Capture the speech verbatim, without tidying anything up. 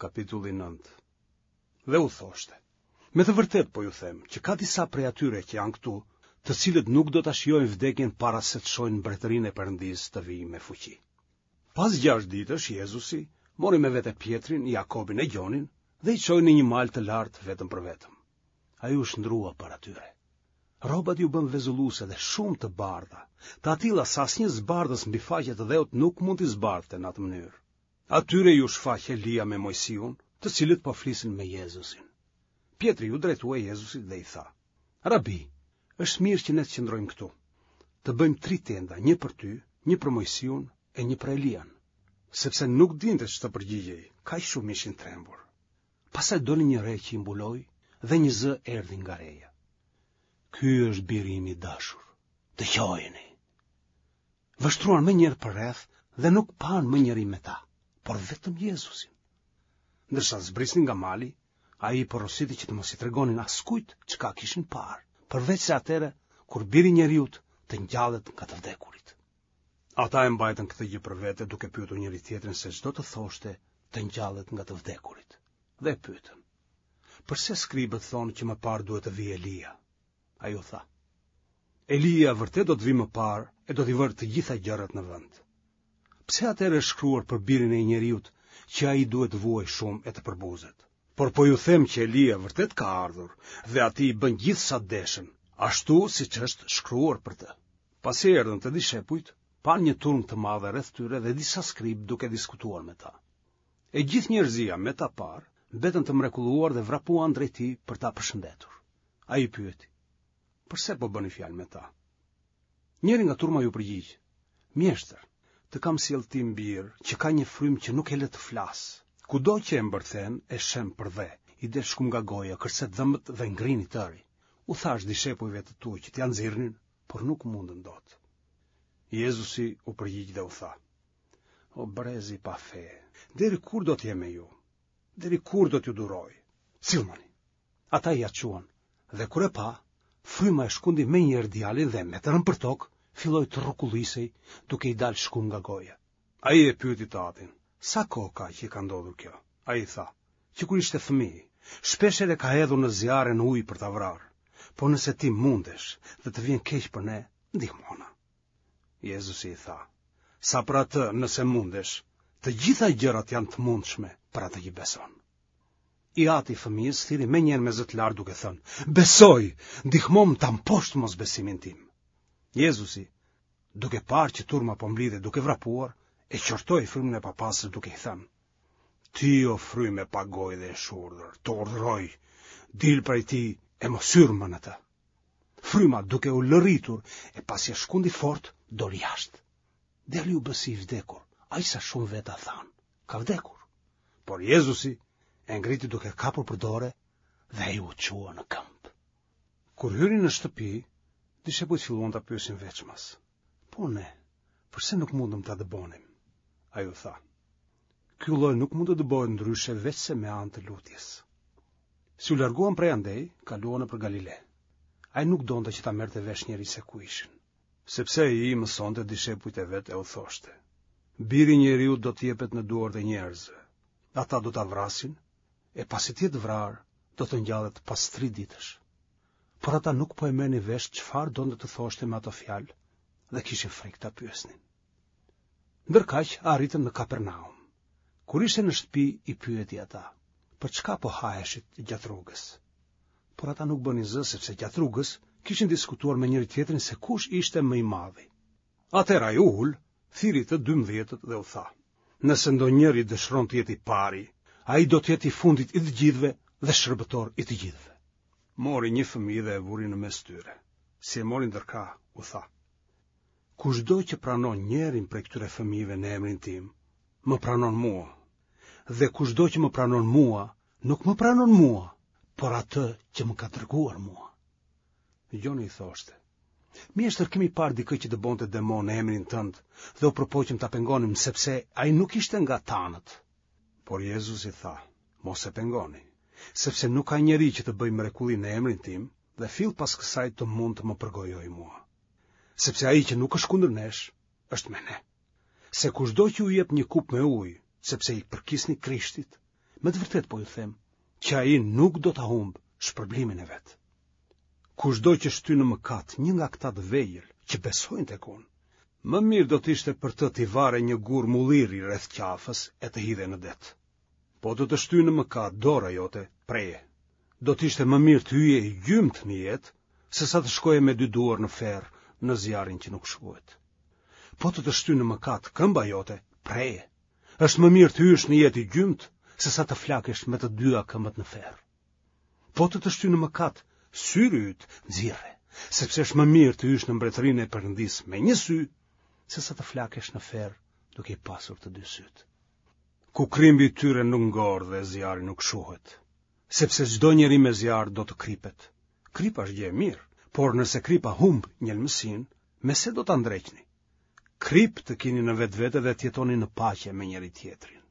Kapitulli nëntë. Dhe u thoshte: Me të vërtetë po ju them që ka disa prej atyre që janë këtu, të cilët nuk do ta shijojnë vdekjen para se të shohin mbretërinë e Perëndisë të vijë me fuqi. Pas gjashtë ditësh Jezusi mori me vete Pjetrin, Jakobin e Gjonin dhe i çoi në një mal të lartë vetëm për vetëm. Ai u shndërrua para tyre. Rrobat iu bënë vezulluese dhe shumë të bardha, të atilla sa asnjë zbardhës mbi faqe të dheut nuk mund t'i zbardhte në atë mënyrë. Atyre iu shfaq Elia me Moisiun, të cilët po flisnin me Jezusin. Pjetri iu drejtua Jezusit dhe i tha: Rabi, është mirë që ne të qëndrojmë këtu. Të bëjmë tri tenda, një për ty, një për Moisiun e një për Elian, sepse nuk dinte ç'të përgjigjej, kaq shumë ishin trembur. Pastaj doli një re që i mbuloi dhe një zë erdhi nga reja. Ky është biri im i dashur. Dëgjojeni. Vështruan menjëherë përreth dhe nuk panë më njeri me ta, por vetëm Jezusin. Ndërsa zbrisnin nga mali, ai i porositi që të mos i tregonin askujt çka kishin parë, përveçse atëherë kur biri i njeriut të ngjallet nga të vdekurit. Ata e mbajtën këtë gjë për vete duke pyetur njëri-tjetrin se ç'do të thoshte të ngjallet nga të vdekurit. Dhe e pyetën: Përse skribët thonë që më parë duhet të vijë Elia? Ai u tha: Elia vërtet do të vijë më parë e do t'i vërë të gjitha gjërat në vend. Pse atëherë është shkruar për birin e njeriut që ai duhet të vuajë shumë e të përbuzet? Por po ju them që Elia vërtet ka ardhur dhe atij i bënë gjithë sa deshën, ashtu siç është shkruar për të. Pasi erdhën te dishepujt, panë një turmë të madhe rreth tyre dhe disa skribë duke diskutuar me ta. E gjithë njerëzia me ta parë, mbetën të mrekulluar dhe vrapuan drejt tij për ta përshëndetur. Ai i pyeti: Përse po bëni fjalë me ta? Njëri nga turma iu përgjigj: Mjeshtër, të kam sjellë tim bir, që ka një frymë që nuk e lë të flasë. Kudo që e mbërthen, e shemb përdhe, i del shkumë nga goja, kërcet dhëmbët dhe ngrin i tëri. U thashë dishepujve të tu që t'ia nxirrnin, por nuk mundën dot. Jezusi u përgjigj dhe u tha: O brez i pafe, deri kur do të jem me ju? Deri kur do t'ju duroj? Sillmani. Ata ia çuan, dhe kur e pa, fryma e shkundi menjëherë djalin dhe me të rënë përtokë, filloi të rrokullisej, duke i dalë shkumë nga goja. Ai e pyeti të atin, sa kohë ka që i ka ndodhur kjo? Ai i tha, që kur ishte fëmijë, shpeshherë e ka hedhur në zjarr e në ujë për ta vrarë. Por nëse ti mundesh dhe të vjen keq për ne, ndihmona. Jezusi i tha, sa për atë nëse mundesh, të gjitha gjërat janë të mundshme për atë që beson. I ati i fëmijës thirri menjëherë me zë të lartë duke thënë, besoj, ndihmomë ta mposht mosbesimin tim. Jezusi, duke parë që turma po mblidhej duke vrapuar, e qortoi frymën e papastër duke i thënë, ti o frymë e pagojë dhe e shurdhër, të urdhëroj, dil prej tij e mos hyr më në të. Fryma duke u lëritur e pasi e shkundi fort, doli jashtë. Djali u bë si i vdekur, aq sa shumë veta thanë, ka vdekur. Por Jezusi e ngriti duke kapur për dore dhe ai u çua në këmbë. Kur hyri në shtëpi, dishepujt filluan ta pyesin veçmas. Po ne, përse nuk mundëm ta dëbonim? Ai u tha, ky lloj nuk mund të dëbohet ndryshe veçse me anë të lutjes. Si u larguan prej andej, kaluan nëpër Galile. Ai nuk donte që ta merrte vesh njeri se ku ishin, sepse ai i mësonte dishepujt e vet e u thoshte: Biri i njeriut do të jepet në duart e njerëzve. Ata do ta vrasin, e pasi të jetë vrarë, do të ngjallet pas tri ditësh. Por ata nuk po e merrnin vesh çfarë donte të thoshte me ato fjalë dhe kishin frikë ta pyesnin. Ndërkaq arritën në Kapernaum. Kur ishte në shtëpi i pyeti ata, për çka po haheshit gjatë rrugës? Por ata nuk bënin zë sepse gjatë rrugës kishin diskutuar me njëri-tjetrin se kush ishte më i madhi. Atëherë ai u ul, thirri të dymbëdhjetët dhe u tha: Nëse ndonjëri dëshiron të jetë i pari, ai do të jetë i fundit i të gjithëve dhe shërbëtor i të gjithëve. Mori një fëmijë dhe e vuri në mes tyre. Si e mori ndër krah, u tha: Kushdo që pranon njërin prej këtyre fëmijëve në emrin tim, më pranon mua. Dhe kushdo që më pranon mua, nuk më pranon mua, por atë që më ka dërguar mua. Gjoni i thoshte: Mjeshtër, kemi parë dikë që dëbonte demonë në emrin tënd dhe u përpoqëm ta pengonim sepse ai nuk ishte nga tanët. Por Jezusi tha: Mos e pengoni, sepse nuk ka njeri që të bëjë mrekulli në emrin tim dhe fill pas kësaj të mund të më përgojojë mua. Sepse ai që nuk është kundër nesh, është me ne. Se kushdo që ju jep një kupë me ujë, sepse i përkisni Krishtit, Me të vërtetë po ju them, që ai nuk do ta humbë shpërblimin e vet. Kushdo që shtyn në mëkat një nga këta të vegjël që besojnë tek unë, më mirë do të ishte për të t'i varej një gur mulliri rreth qafës e të hidhej në det. Po të të shtyjë në mëkat dora jote, preje. Do të ishte më mirë të hyje i gjymtë në jetë, sesa të shkoje me dy duar në ferr në zjarrin që nuk shuhet. Po të të shtyjë në mëkat këmba jote, preje. Është më mirë të hysh në jetë i gjymtë, sesa të flakesh me të dyja këmbët në ferr. Po të të shtyjë në mëkat syri yt, nxirre, sepse është më mirë të hysh në mbretërinë e Perëndisë me një sy, sesa të flakesh në ferr duke i pasur të dy sytë. Ku krimbi i tyre nuk ngordh dhe zjarri nuk shuhet, sepse çdo njeri me zjarr do të kripet. Kripa është gjë e mirë, por nëse kripa humb njelmësinë, me se do ta ndreqni? Kripë të kini në vetvete dhe të jetoni në paqe me njëri-tjetrin.